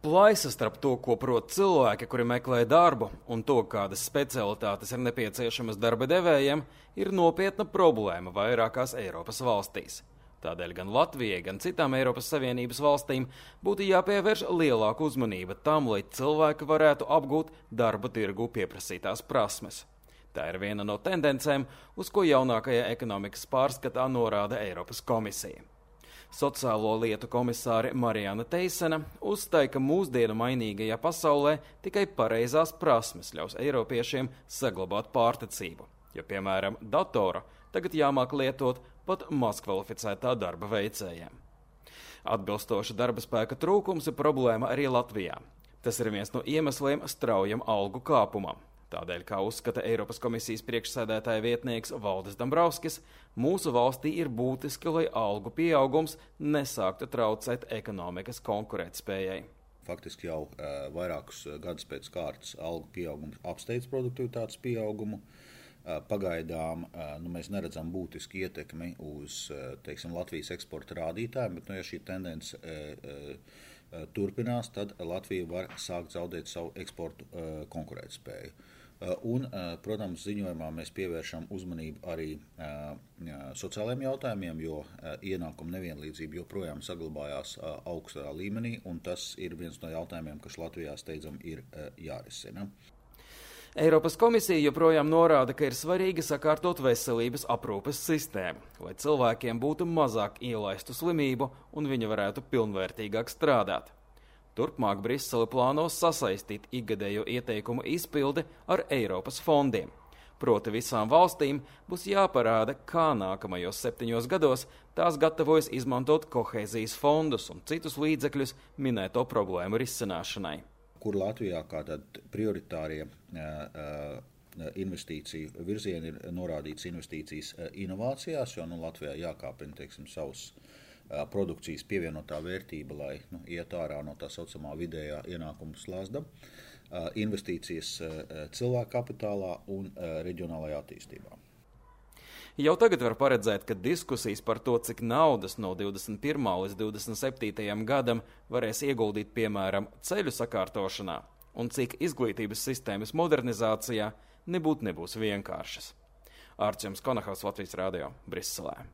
Plaisa starp to, ko prot cilvēki, kuri meklē darbu, un to, kādas specialitātes ir nepieciešamas darba devējiem, ir nopietna problēma vairākās Eiropas valstīs. Tādēļ gan Latvijai, gan citām Eiropas Savienības valstīm būtu jāpievērš lielāka uzmanība tam, lai cilvēki varētu apgūt darba tirgu pieprasītās prasmes. Tā ir viena no tendencēm, uz ko jaunākajā ekonomikas pārskatā norāda Eiropas komisija. Sociālo lietu komisāre Marijana Teisena uzstāja, ka mūsdienu mainīgajā pasaulē tikai pareizās prasmes ļaus eiropiešiem saglabāt pārticību, jo, piemēram, datoru tagad jāmāk lietot pat mazkvalificētā darba veicējiem. Atbilstoša darba spēka trūkums ir problēma arī Latvijā. Tas ir viens no iemesliem straujam algu kāpumam. Tādēļ, kā uzskata Eiropas komisijas priekšsēdētāja vietnieks Valdis Dombrovskis, mūsu valstī ir būtiski, lai algu pieaugums nesāktu traucēt ekonomikas konkurētspējai. Faktiski jau vairākus gadus pēc kārtas algu pieaugums apsteidz produktivitātes pieaugumu. Pagaidām mēs neredzam būtisku ietekmi uz Latvijas eksporta rādītājiem, bet ja šī tendence turpinās, tad Latvija var sākt zaudēt savu eksportu konkurētspēju. Un, protams, ziņojumā mēs pievēršam uzmanību arī sociālajiem jautājumiem, jo ienākuma nevienlīdzība joprojām saglabājās augstā līmenī, un tas ir viens no jautājumiem, kas Latvijā steidzam ir jārisina. Eiropas komisija joprojām norāda, ka ir svarīgi sakārtot veselības aprūpes sistēmu, lai cilvēkiem būtu mazāk ielaistu slimību un viņi varētu pilnvērtīgāk strādāt. Turpmāk Brisele plāno sasaistīt ikgadējo ieteikumu izpildi ar Eiropas fondiem. Proti visām valstīm būs jāparāda, kā nākamajos 7 gados tās gatavojas izmantot kohēzijas fondus un citus līdzekļus minēto problēmu risināšanai. Kur Latvijā kā tad prioritārie investīciju virzieni ir norādīts investīcijas inovācijās, jo Latvijā jākāpina, savus produkcijas pievienotā vērtība, lai iet ārā no tā saucamā vidējā ienākuma slazda, investīcijas cilvēku kapitālā un reģionālajā attīstībā. Jau tagad var paredzēt, ka diskusijas par to, cik naudas no 21. līdz 27. gadam varēs ieguldīt, piemēram, ceļu sakārtošanā un cik izglītības sistēmas modernizācijā nebūs vienkāršas. Arčuns Konahaus, Latvijas radio, Briselē.